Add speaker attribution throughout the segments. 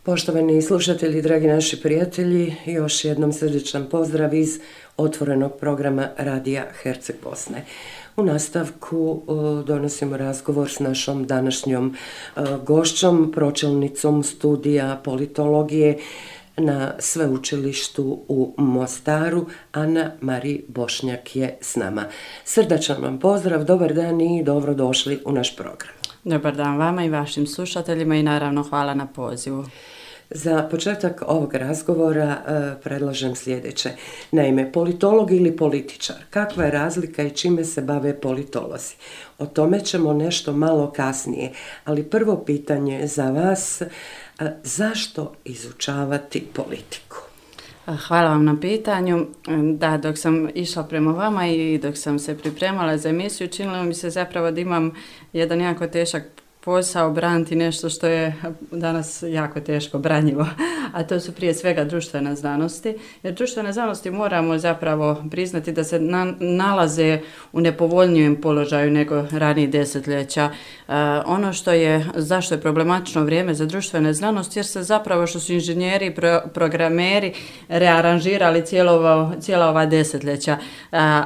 Speaker 1: Poštovani slušatelji, dragi naši prijatelji, još jednom srdečan pozdrav iz otvorenog programa Radija Herceg Bosne. U nastavku donosimo razgovor s našom današnjom gošćom, pročelnicom studija politologije na sveučilištu u Mostaru. Ana Marija Bošnjak je s nama. Srdačan vam pozdrav, dobar dan i dobrodošli u naš program.
Speaker 2: Dobar dan vama i vašim slušateljima i naravno hvala na pozivu.
Speaker 1: Za početak ovog razgovora predlažem sljedeće. Naime, politolog ili političar, kakva je razlika i čime se bave politolozi? O tome ćemo nešto malo kasnije, ali prvo pitanje za vas, zašto izučavati politiku?
Speaker 2: Hvala vam na pitanju. Da, dok sam išla prema vama i dok sam se pripremala za emisiju, činilo mi se zapravo da imam jedan jako težak posao braniti nešto što je danas jako teško branjivo, a to su prije svega društvene znanosti. Jer društvene znanosti moramo zapravo priznati da se nalaze u nepovoljnijem položaju nego ranijih desetljeća. Ono zašto je problematično vrijeme za društvene znanosti, jer se zapravo što su inženjeri i programeri rearanžirali cijela ova desetljeća.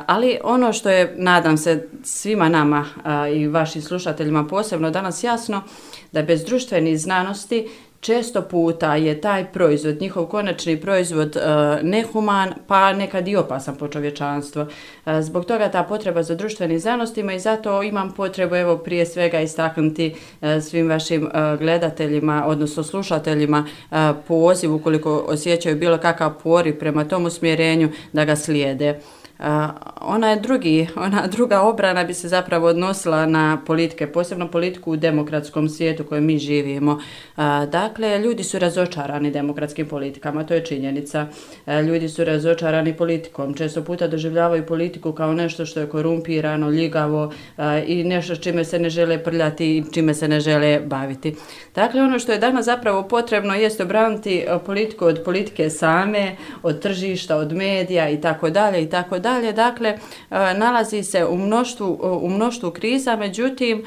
Speaker 2: Ali ono što je, nadam se, svima nama i vašim slušateljima posebno danas jasno, da bez društvenih znanosti često puta je taj proizvod, njihov konačni proizvod nehuman, pa nekad i opasan po čovječanstvo. Zbog toga ta potreba za društvenim znanostima i zato imam potrebu prije svega istaknuti svim vašim gledateljima, odnosno slušateljima poziv ukoliko osjećaju bilo kakav poriv prema tom usmjerenju da ga slijede. Ona druga obrana bi se zapravo odnosila na politike, posebno politiku u demokratskom svijetu u kojem mi živimo. Dakle, ljudi su razočarani demokratskim politikama, to je činjenica. Ljudi su razočarani politikom, često puta doživljavaju politiku kao nešto što je korumpirano, ljigavo i nešto s čime se ne žele prljati i čime se ne žele baviti. Dakle, ono što je danas zapravo potrebno jest obraniti politiku od politike same, od tržišta, od medija i tako dalje i tako dalje. Dakle, nalazi se u mnoštvu kriza, međutim,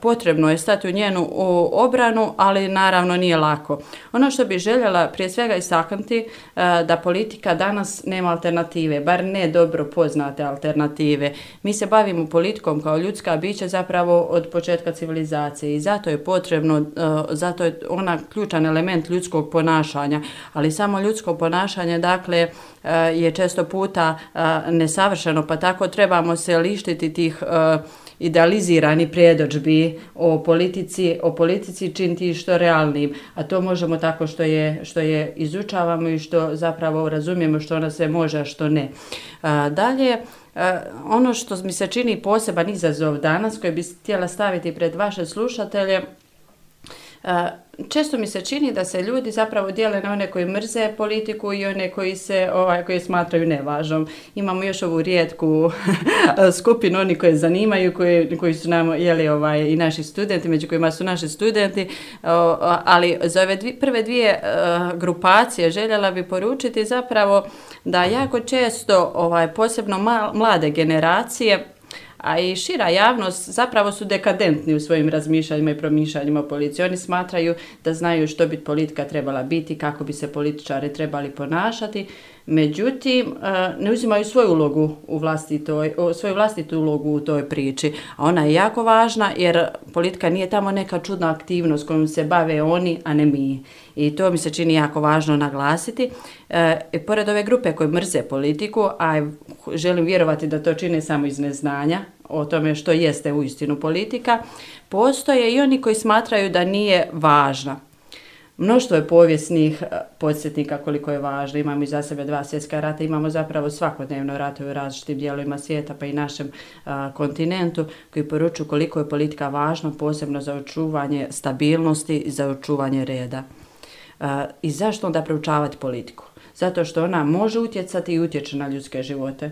Speaker 2: potrebno je stati u njenu obranu, ali naravno nije lako. Ono što bih željela prije svega istaknuti, da politika danas nema alternative, bar ne dobro poznate alternative. Mi se bavimo politikom kao ljudska bića zapravo od početka civilizacije i zato je potrebno, zato je ona ključan element ljudskog ponašanja, ali samo ljudsko ponašanje, dakle, je često puta nesavršeno, pa tako trebamo se lištiti tih idealiziranih predodžbi o politici činiti što realnim, a to možemo tako što je izučavamo i što zapravo razumijemo što ona se može, a što ne. Dalje, ono što mi se čini poseban izazov danas koji bi htjela staviti pred vaše slušatelje, često mi se čini da se ljudi zapravo dijele na one koji mrze politiku i one koji smatraju nevažnom. Imamo još ovu rijetku skupinu, oni koji zanimaju, koji su nam i naši studenti, među kojima su naši studenti, ali za ove prve dvije grupacije željela bi poručiti zapravo da jako često posebno mlade generacije, a i šira javnost zapravo su dekadentni u svojim razmišljanjima i promišljanjima o politici. Oni smatraju da znaju što bi politika trebala biti, kako bi se političari trebali ponašati, međutim ne uzimaju svoju vlastitu ulogu u toj priči. A ona je jako važna jer politika nije tamo neka čudna aktivnost kojom se bave oni, a ne mi. I to mi se čini jako važno naglasiti. Pored ove grupe koje mrze politiku, a želim vjerovati da to čine samo iz neznanja o tome što jeste uistinu politika, postoje i oni koji smatraju da nije važna. Mnoštvo je povijesnih podsjetnika koliko je važno. Imamo iza sebe 2 svjetska rata, imamo zapravo svakodnevno ratove u različitim dijelovima svijeta pa i našem kontinentu koji poručuju koliko je politika važna, posebno za očuvanje stabilnosti i za očuvanje reda. I zašto onda proučavati politiku? Zato što ona može utjecati i utječe na ljudske živote.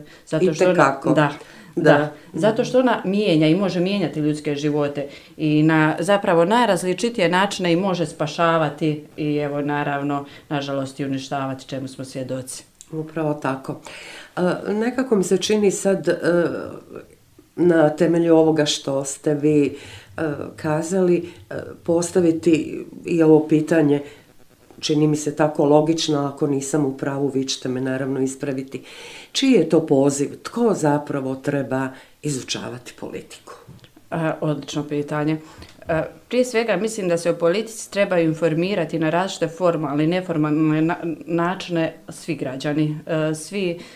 Speaker 2: Zato što ona mijenja i može mijenjati ljudske živote i na zapravo najrazličitije načine i može spašavati i naravno, nažalost i uništavati, čemu smo svjedoci.
Speaker 1: Upravo tako. Nekako mi se čini sad na temelju ovoga što ste vi kazali postaviti i ovo pitanje čini mi se tako logično, ako nisam u pravu, vi ćete me naravno ispraviti. Čiji je to poziv? Tko zapravo treba izučavati politiku?
Speaker 2: Odlično pitanje. Prije svega mislim da se o politici trebaju informirati na različite formalne i neformalne načine svi građani,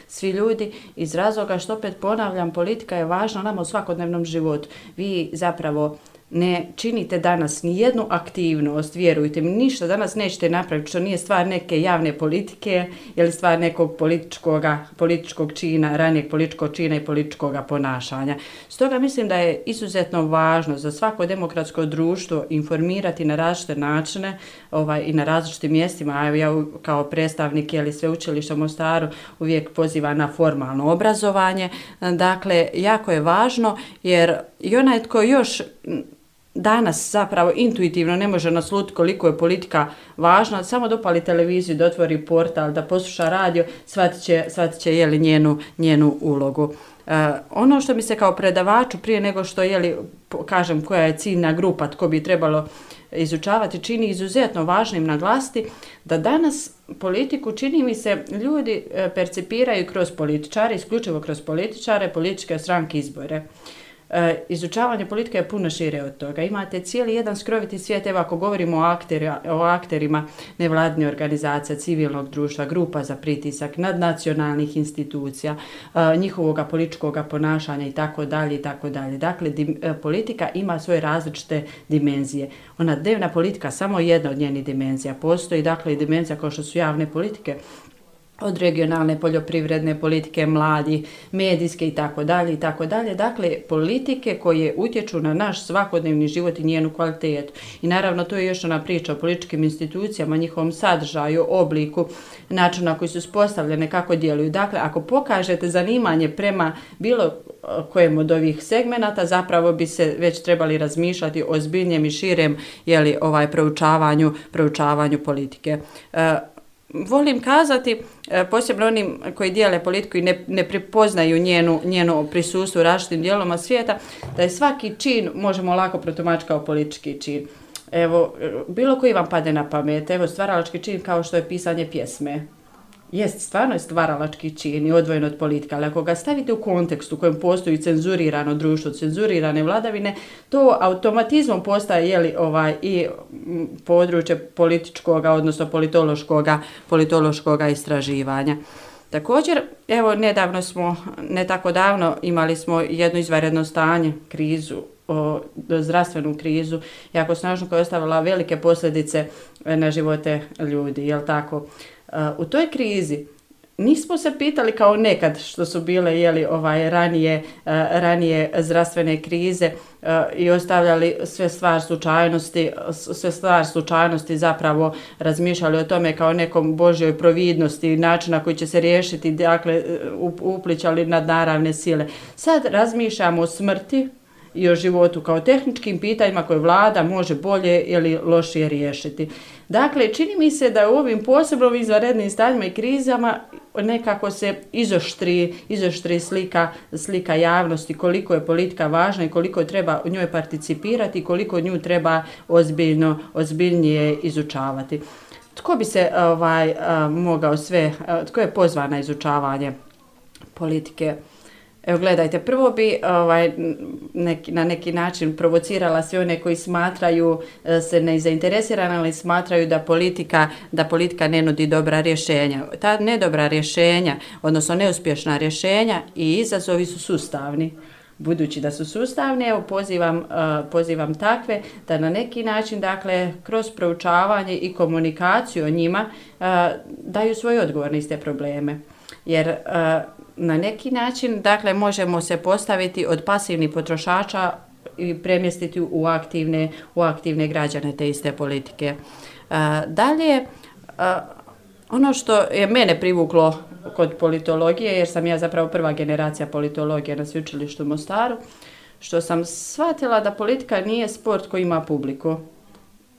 Speaker 2: svi ljudi, iz razloga što, opet ponavljam, politika je važna nama u svakodnevnom životu. Vi zapravo ne činite danas ni jednu aktivnost, vjerujte mi, ništa danas nećete napraviti što nije stvar neke javne politike ili stvar nekog političkog čina, ranijeg političkog čina i političkog ponašanja. Stoga mislim da je izuzetno važno za svako demokratsko društvo informirati na različite načine i na različitim mjestima. A ja kao predstavnik Sveučilišta u Mostaru uvijek pozivam na formalno obrazovanje. Dakle, jako je važno jer i onaj tko još danas zapravo intuitivno ne može naslutiti koliko je politika važna, samo da upali televiziju, da otvori portal, da posluša radio, shvatit će njenu ulogu. Ono što mi se kao predavaču, prije nego što kažem koja je ciljna grupa, tko bi trebalo izučavati, čini izuzetno važnim naglasiti da danas politiku, čini mi se, ljudi percipiraju kroz političare, isključivo kroz političare, političke stranke, izbore. Izučavanje politike je puno šire od toga. Imate cijeli jedan skroviti svijet, evo ako govorimo o akterima nevladine organizacija, civilnog društva, grupa za pritisak, nadnacionalnih institucija, njihovog političkog ponašanja itd. Dakle, politika ima svoje različite dimenzije. Ona dnevna politika samo jedna od njenih dimenzija. Postoji dakle i dimenzija kao što su javne politike, od regionalne poljoprivredne politike, mladi, medijske itd. Dakle, politike koje utječu na naš svakodnevni život i njenu kvalitetu. I naravno to je još ona priča o političkim institucijama, njihovom sadržaju, obliku, načinu na koji su uspostavljene, kako djeluju. Dakle, ako pokažete zanimanje prema bilo kojem od ovih segmenata, zapravo bi se već trebali razmišljati o ozbiljnijem i širem proučavanju politike. Volim kazati, posebno onim koji dijele politiku i ne prepoznaju njeno prisustvo u različitim dijelovima svijeta, da je svaki čin možemo lako protumačiti kao politički čin. Evo, bilo koji vam pade na pamet, evo stvaralački čin kao što je pisanje pjesme. Jest, stvarno je stvaralački čin i odvojen od politika, ali ako ga stavite u kontekst u kojem postoji cenzurirano društvo, cenzurirane vladavine, to automatizmom postaje i područje političkoga, odnosno politološkoga istraživanja. Također, evo nedavno ne tako davno imali smo jedno izvanredno stanje, zdravstvenu krizu, jako snažno, koja je ostavila velike posljedice na živote ljudi, jel tako? U toj krizi nismo se pitali kao nekad što su bile ranije zdravstvene krize i ostavljali sve stvar slučajnosti, zapravo razmišljali o tome kao nekom Božjoj providnosti, način na koji će se riješiti, dakle uplićali nadnaravne sile. Sad razmišljamo o smrti i o životu kao tehničkim pitanjima koje vlada može bolje ili lošije riješiti. Dakle, čini mi se da u ovim posebno izvanrednim stanjima i krizama nekako se izoštri slika javnosti, koliko je politika važna i koliko treba u njoj participirati i koliko nju treba ozbiljnije izučavati. Tko bi se tko je pozvan na izučavanje politike? Evo gledajte, prvo bi na neki način provocirala sve one koji smatraju se nezainteresirani, ali smatraju da politika ne nudi dobra rješenja. Ta nedobra rješenja, odnosno neuspješna rješenja i izazovi su sustavni. Budući da su sustavni, evo pozivam takve da na neki način, dakle, kroz proučavanje i komunikaciju o njima daju svoj odgovor na iste probleme. Jer na neki način, dakle, možemo se postaviti od pasivnih potrošača i premjestiti u aktivne građane te iste politike. Dalje, ono što je mene privuklo kod politologije, jer sam ja zapravo prva generacija politologije na Sveučilištu u Mostaru, što sam shvatila da politika nije sport koji ima publiku.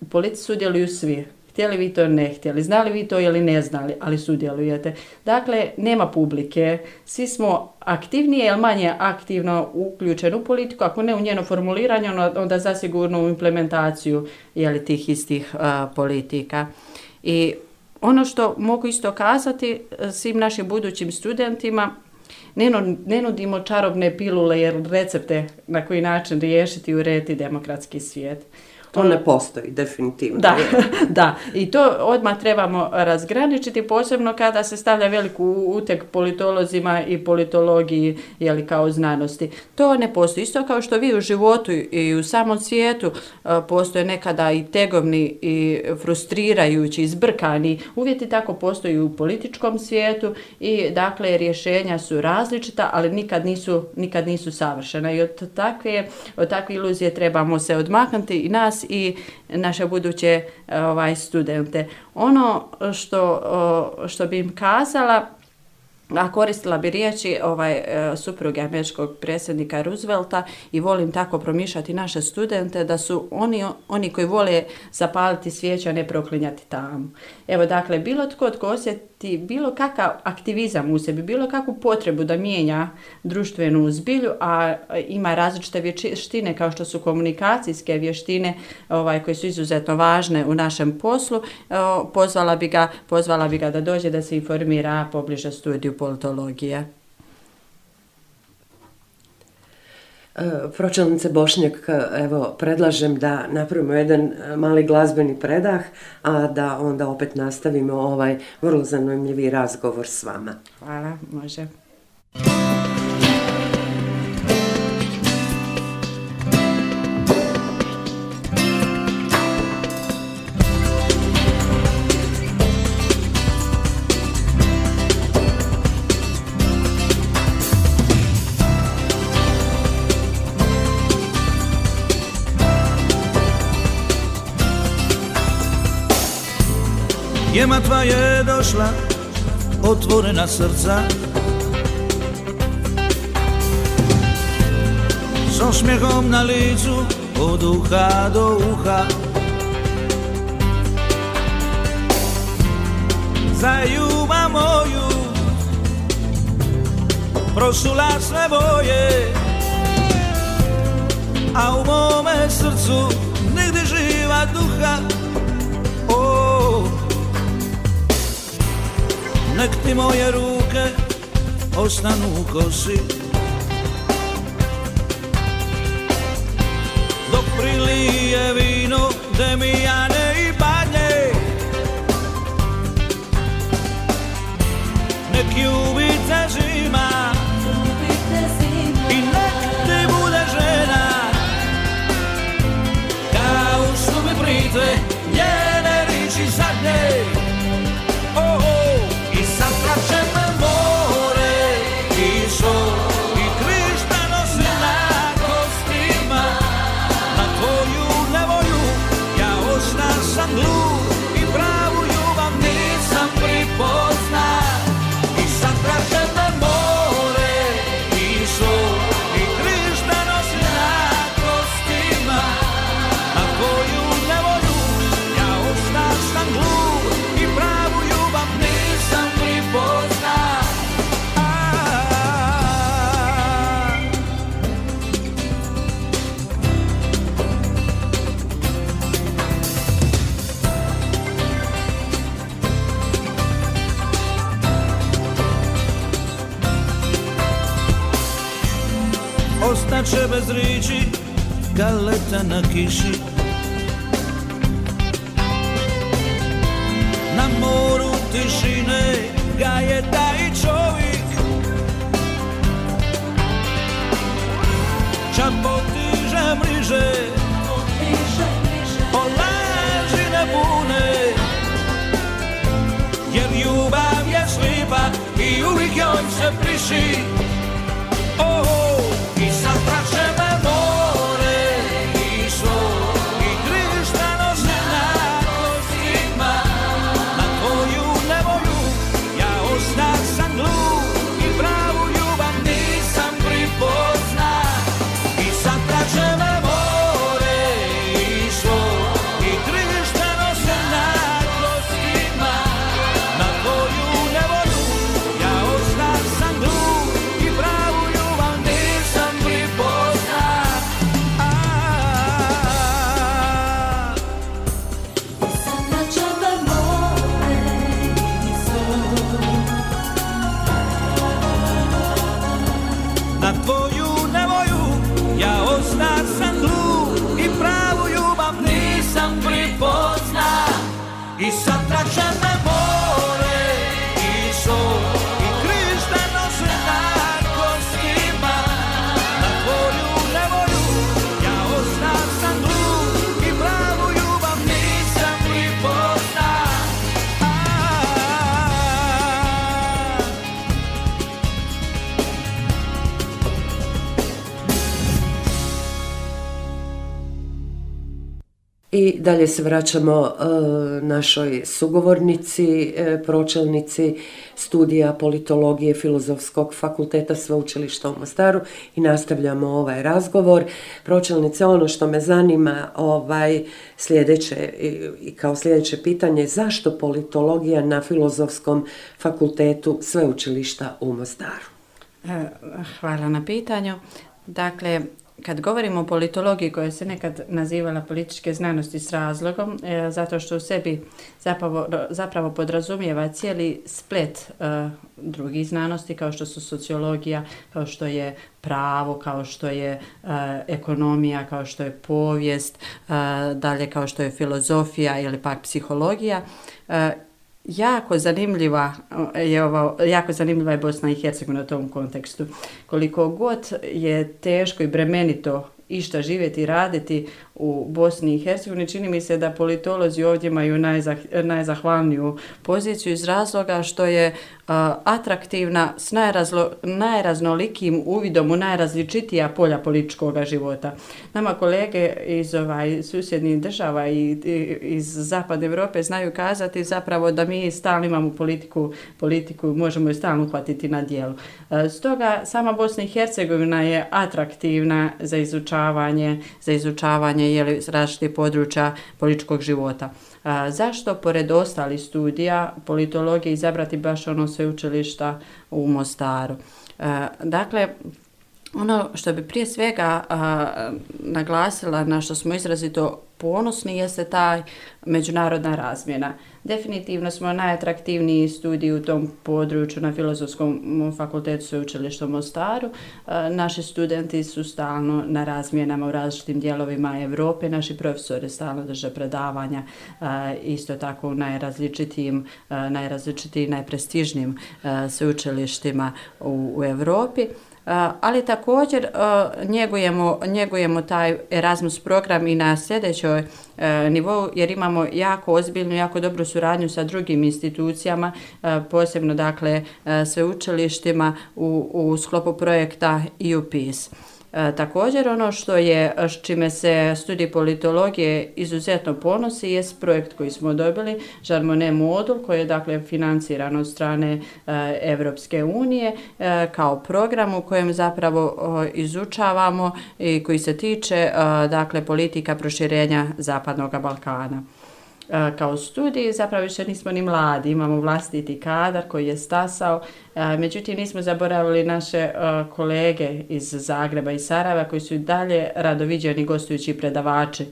Speaker 2: U politici sudjeluju svi. Htjeli vi to, ne htjeli, znali vi to ili ne znali, ali sudjelujete. Dakle, nema publike, svi smo aktivnije ili manje aktivno uključeni u politiku, ako ne u njeno formuliranje, onda zasigurno u implementaciju tih istih politika. I ono što mogu isto kazati svim našim budućim studentima, ne nudimo čarobne pilule jer recepte na koji način riješiti i urediti demokratski svijet.
Speaker 1: To ne postoji, definitivno.
Speaker 2: Da, da. I to odmah trebamo razgraničiti, posebno kada se stavlja veliku uteg politolozima i politologiji, jeli, kao znanosti. To ne postoji. Isto kao što vi u životu i u samom svijetu postoje nekada i tegovni i frustrirajući, izbrkani uvjeti, tako postoji u političkom svijetu i dakle rješenja su različita, ali nikad nisu savršena. I od takve iluzije trebamo se odmaknuti i nas i naše buduće studente. Ono što bi im kazala, a koristila bi riječi supruge američkog predsjednika Roosevelta i volim tako promišljati naše studente, da su oni koji vole zapaliti svijeću, a ne proklinjati tamu. Evo, dakle, bilo tko osjeti bilo kakav aktivizam u sebi, bilo kakvu potrebu da mijenja društvenu zbilju, a ima različite vještine kao što su komunikacijske vještine koje su izuzetno važne u našem poslu, pozvala bi ga da dođe da se informira pobliže studiju politologije.
Speaker 1: Pročelnice Bošnjak, evo, predlažem da napravimo jedan mali glazbeni predah, a da onda opet nastavimo ovaj vrlo zanimljivi razgovor s vama.
Speaker 2: Hvala, može.
Speaker 3: Jema tva je došla, otvorena srca, s osmijehom na licu, od uha do uha. Za ljubav moju prosula sve boje, a u mome srcu nigdje živa duha. Nek ti moje ruke ostanu u kosi, dok prilije vino demijane i badnje. Nek ljubice zima i nek ti bude žena, kao što mi prite njene riči zadnje. I pravu ljubav nisam pripozna, i sad tražem me more, i sol, i križ da nosim na kostima, na koju nevolju ja ostašam glup, i pravu ljubav nisam pripozna. Ostaće bez riči, galeta na kiši, na moru tišine gaje taj čovjek, čak potiže mriže, o laži ne bune, jer ljubav je slipa i uvijek joj se priši. I sad traže me more, i sol, i križ da nosim na kostima, na koju nevolju ja ostašam glup, i pravu ljubav nisam pripozna. I sad traže me more, i sol, i križ da nosim na kostima, na koju nevolju ja ostašam glup, sad tražam na more i sol i krištano znak kostima. Na tvoju nevolju ja ostao sam dug i pravu ljubav nisam pripozna.
Speaker 1: I dalje se vraćamo našoj sugovornici, pročelnici studija politologije Filozofskog fakulteta Sveučilišta u Mostaru i nastavljamo ovaj razgovor. Pročelnice, ono što me zanima sljedeće i kao sljedeće pitanje, zašto politologija na Filozofskom fakultetu Sveučilišta u Mostaru?
Speaker 2: Hvala na pitanju. Dakle, kad govorimo o politologiji koja se nekad nazivala političke znanosti s razlogom, zato što u sebi zapravo podrazumijeva cijeli splet drugih znanosti kao što su sociologija, kao što je pravo, kao što je ekonomija, kao što je povijest, dalje kao što je filozofija ili pak psihologija. Jako zanimljiva je Bosna i Hercegovina u tom kontekstu. Koliko god je teško i bremenito išta živjeti i raditi u Bosni i Hercegovini, čini mi se da politolozi ovdje imaju najzahvalniju poziciju iz razloga što je atraktivna s najraznolikim uvidom u najrazličitija polja političkog života. Nama kolege iz susjednih država i iz Zapadne Europe znaju kazati zapravo da mi stalno imamo politiku, možemo ju stalno uhvatiti na djelu. Stoga sama Bosna i Hercegovina je atraktivna za izučavanje različitih područja političkog života. Zašto pored ostalih studija politologije izabrati baš ono sveučilišta u Mostaru? Dakle, ono što bi prije svega naglasila, na što smo izrazito ponosni, jeste taj međunarodna razmjena. Definitivno smo najatraktivniji studiji u tom području na Filozofskom fakultetu Sveučilišta u Mostaru. Naši studenti su stalno na razmjenama u različitim dijelovima Europe, naši profesori stalno drže predavanja, isto tako u najrazličitijim, najprestižnijim sveučilištima u Europi. Ali također njegujemo taj Erasmus program i na sljedećoj nivou, jer imamo jako ozbiljnu, jako dobru suradnju sa drugim institucijama, posebno dakle sveučilištima u sklopu projekta EU Peace. Također ono s čime se studij politologije izuzetno ponosi jest projekt koji smo dobili, Jean Monnet modul, koji je dakle financiran od strane Evropske unije kao program u kojem zapravo izučavamo i koji se tiče dakle politika proširenja Zapadnog Balkana. Kao studij zapravo više nismo ni mladi, imamo vlastiti kadar koji je stasao, međutim nismo zaboravili naše kolege iz Zagreba i Sarajeva koji su i dalje rado viđeni gostujući predavači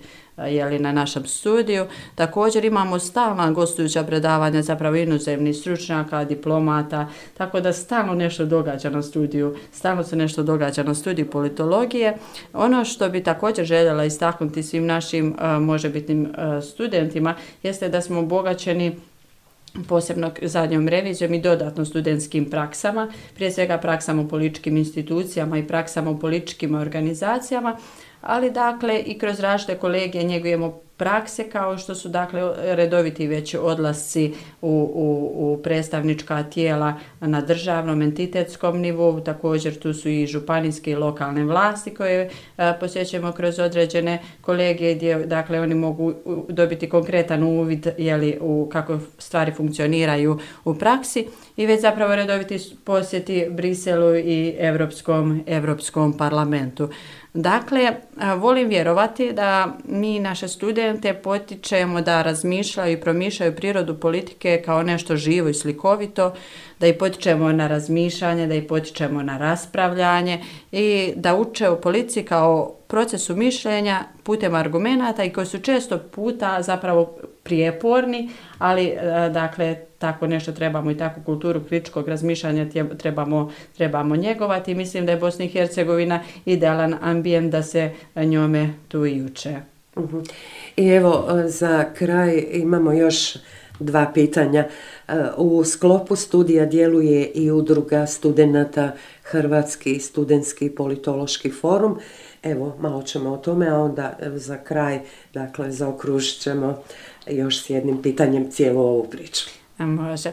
Speaker 2: na našem studiju. Također imamo stalna gostujuća predavanja zapravo inozemnih stručnjaka, diplomata, tako da stalno nešto događa na studiju, stalno se nešto događa na studiju politologije. Ono što bi također željela istaknuti svim našim možebitnim studentima jeste da smo obogaćeni posebno zadnjom revizijom i dodatno studentskim praksama, prije svega praksama u političkim institucijama i praksama u političkim organizacijama, ali dakle i kroz različite kolegije njegujemo prakse kao što su dakle redoviti već odlasci u predstavnička tijela na državnom entitetskom nivou, također tu su i županijske i lokalne vlasti koje posjećujemo kroz određene kolegije gdje dakle oni mogu dobiti konkretan uvid u kako stvari funkcioniraju u praksi i već zapravo redoviti posjeti Briselu i Europskom parlamentu. Dakle, volim vjerovati da mi naše studente potičemo da razmišljaju i promišljaju prirodu politike kao nešto živo i slikovito, da ih potičemo na razmišljanje, da ih potičemo na raspravljanje i da uče u politici kao procesu mišljenja putem argumenata i koji su često puta zapravo prijeporni, ali dakle tako nešto trebamo i takvu kulturu kritičkog razmišljanja trebamo njegovati. Mislim da je Bosna i Hercegovina idealan ambijent da se njome tu i uče.
Speaker 1: I evo za kraj imamo još dva pitanja. U sklopu studija djeluje i udruga studenata Hrvatski studentski politološki forum. Evo, malo ćemo o tome, a onda za kraj, dakle, zaokružit ćemo još s jednim pitanjem cijelu ovu priču.
Speaker 2: Može.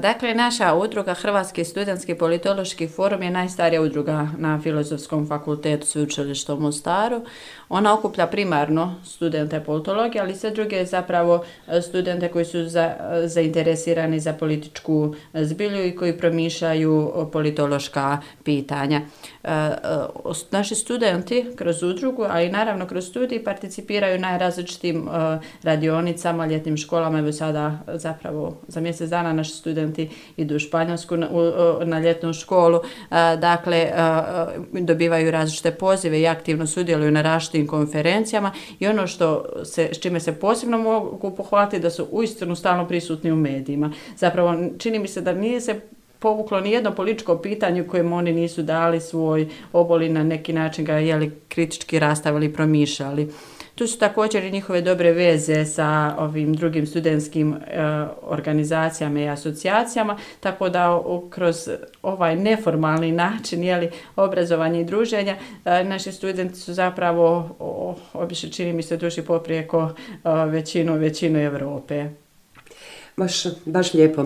Speaker 2: Dakle, naša udruga Hrvatski studentski politološki forum je najstarija udruga na Filozofskom fakultetu Sveučilišta u Mostaru. Ona okuplja primarno studente politologije, ali i sve druge zapravo studente koji su zainteresirani za političku zbilju i koji promišljaju politološka pitanja. Naši studenti kroz udrugu, a i naravno kroz studij participiraju na različitim radionicama, ljetnim školama. Evo sada zapravo za mjesec dana naši studenti idu u Španjolsku na ljetnu školu, dakle dobivaju različite pozive i aktivno sudjeluju na različitim konferencijama i ono s čime se posebno mogu pohvaliti da su uistinu stalno prisutni u medijima. Zapravo čini mi se da nije se povuklo ni jedno političko pitanje u kojem oni nisu dali svoj obol i na neki način ga kritički rastavili i promišljali. Tu su također i njihove dobre veze sa ovim drugim studentskim organizacijama i asocijacijama, tako da kroz ovaj neformalni način obrazovanja i druženja naši studenti su zapravo obično, čini mi se, duši poprijeko većinu Europe.
Speaker 1: Baš lijepo.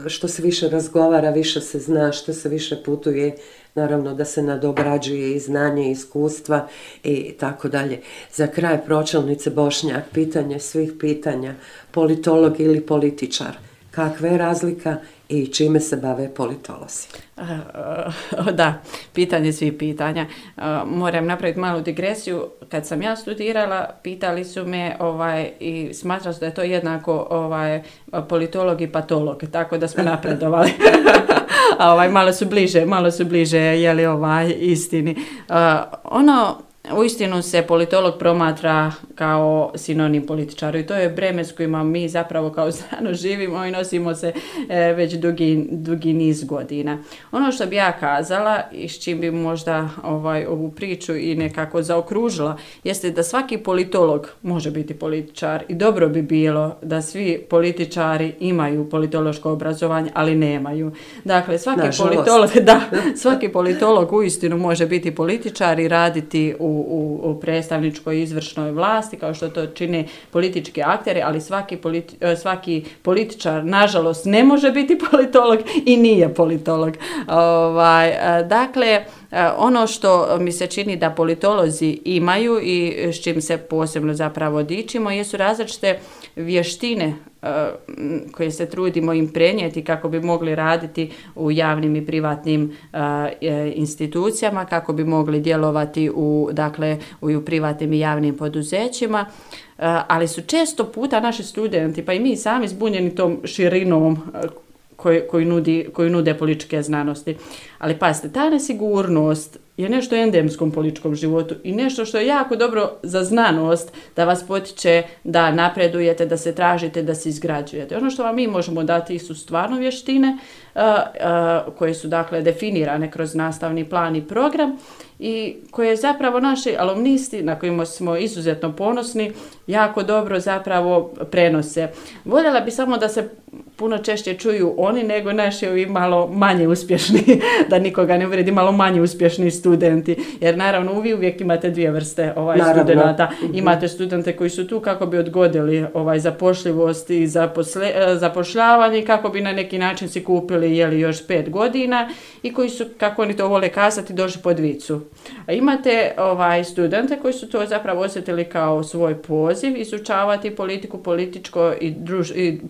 Speaker 1: Što se više razgovara, više se zna, što se više putuje, naravno da se nadograđuje i znanje, i iskustva i tako dalje. Za kraj, pročelnice Bošnjak, pitanje svih pitanja, politolog ili političar, kakva je razlika i čime se bave politolozi?
Speaker 2: Da, pitanje svih pitanja. Moram napraviti malu digresiju. Kad sam ja studirala, pitali su me i smatrali su da je to jednako politolog i patolog, tako da smo napredovali. Malo su bliže istini. Uistinu se politolog promatra kao sinonim političaru i to je breme s kojima mi zapravo kao znanost živimo i nosimo se već dugi niz godina. Ono što bi ja kazala i s čim bi možda ovu priču i nekako zaokružila jeste da svaki politolog može biti političar i dobro bi bilo da svi političari imaju politološko obrazovanje, ali nemaju. Dakle, svaki politolog uistinu može biti političar i raditi u predstavničkoj izvršnoj vlasti, kao što to čine politički akteri, ali svaki političar, nažalost, ne može biti politolog i nije politolog. Dakle, ono što mi se čini da politolozi imaju i s čim se posebno zapravo dičimo jesu različite vještine koje se trudimo im prenijeti kako bi mogli raditi u javnim i privatnim institucijama, kako bi mogli djelovati u privatnim i javnim poduzećima, ali su često puta naši studenti, pa i mi sami, zbunjeni tom širinom koju nude političke znanosti. Ali pazite, ta nesigurnost je nešto u endemskom političkom životu i nešto što je jako dobro za znanost, da vas potiče da napredujete, da se tražite, da se izgrađujete. Ono što vam mi možemo dati su stvarno vještine koje su definirane kroz nastavni plan i program i koje zapravo naši alumnisti, na kojima smo izuzetno ponosni, jako dobro zapravo prenose. Voljela bi samo da se puno češće čuju oni nego naši ovi malo manje uspješni, da nikoga ne uvredi, malo manje uspješni studenti. Jer naravno vi uvijek imate dvije vrste studenata. Imate studente koji su tu kako bi odgodili zapošljivost i zapošljavanje, kako bi na neki način si kupili još 5 godina i koji su, kako oni to vole kazati, došli pod vicu. A imate studente koji su to zapravo osjetili kao svoj poziv, izučavati politiku, političko i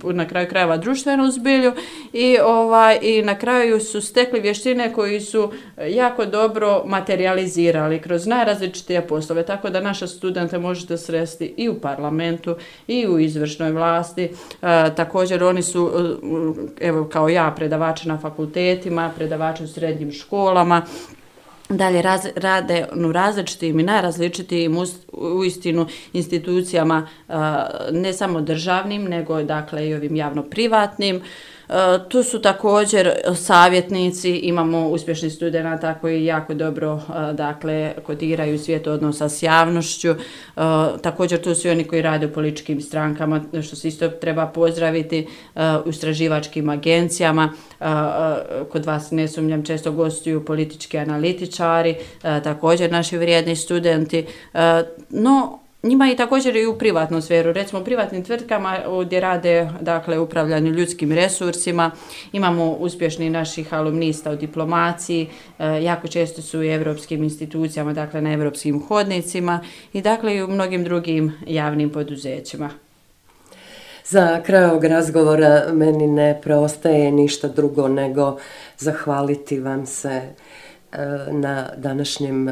Speaker 2: na kraju krajeva društvenu zbilju i na kraju su stekli vještine koji su jako dobro materializirali kroz najrazličitije poslove, tako da naše studente možete sresti i u parlamentu i u izvršnoj vlasti. Također oni su, evo kao ja, predavači na fakultetima, predavači u srednjim školama, dalje rade u različitim i najrazličitijim uistinu institucijama, ne samo državnim, nego i ovim javno-privatnim. Tu su također savjetnici, imamo uspješnih studenata koji jako dobro dakle, kodiraju svijet odnosa s javnošću. Također tu su i oni koji rade u političkim strankama, što se isto treba pozdraviti, u istraživačkim agencijama. Kod vas, ne sumnjam, često gostuju politički analitičari, također naši vrijedni studenti, no njima i također i u privatnu sferu, recimo u privatnim tvrtkama gdje rade dakle, upravljanju ljudskim resursima, imamo uspješni naših alumnista u diplomaciji, jako često su i evropskim institucijama, dakle na evropskim hodnicima i dakle i u mnogim drugim javnim poduzećima.
Speaker 1: Za kraj ovog razgovora meni ne preostaje ništa drugo nego zahvaliti vam se na današnjem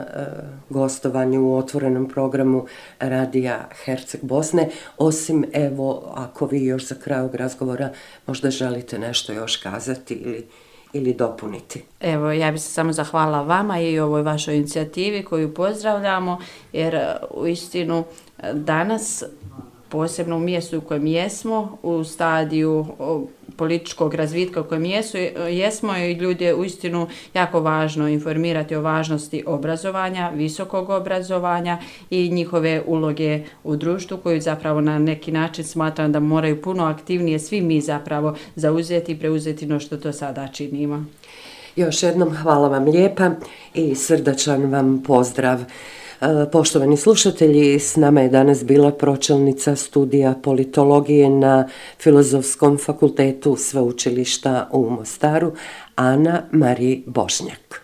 Speaker 1: gostovanju u otvorenom programu Radija Herceg Bosne, osim evo ako vi još za kraj ovog razgovora možda želite nešto još kazati ili dopuniti.
Speaker 2: Evo, ja bih se samo zahvalila vama i ovoj vašoj inicijativi koju pozdravljamo, jer uistinu danas, posebno u mjestu u kojem jesmo, u stadiju političkog razvitka u kojem jesmo i ljudi je uistinu jako važno informirati o važnosti obrazovanja, visokog obrazovanja i njihove uloge u društvu koju zapravo na neki način smatram da moraju puno aktivnije svi mi zapravo zauzeti i preuzeti no što to sada činimo.
Speaker 1: Još jednom hvala vam lijepa i srdačan vam pozdrav. Poštovani slušatelji, s nama je danas bila pročelnica studija politologije na Filozofskom fakultetu Sveučilišta u Mostaru, Ana Marija Bošnjak.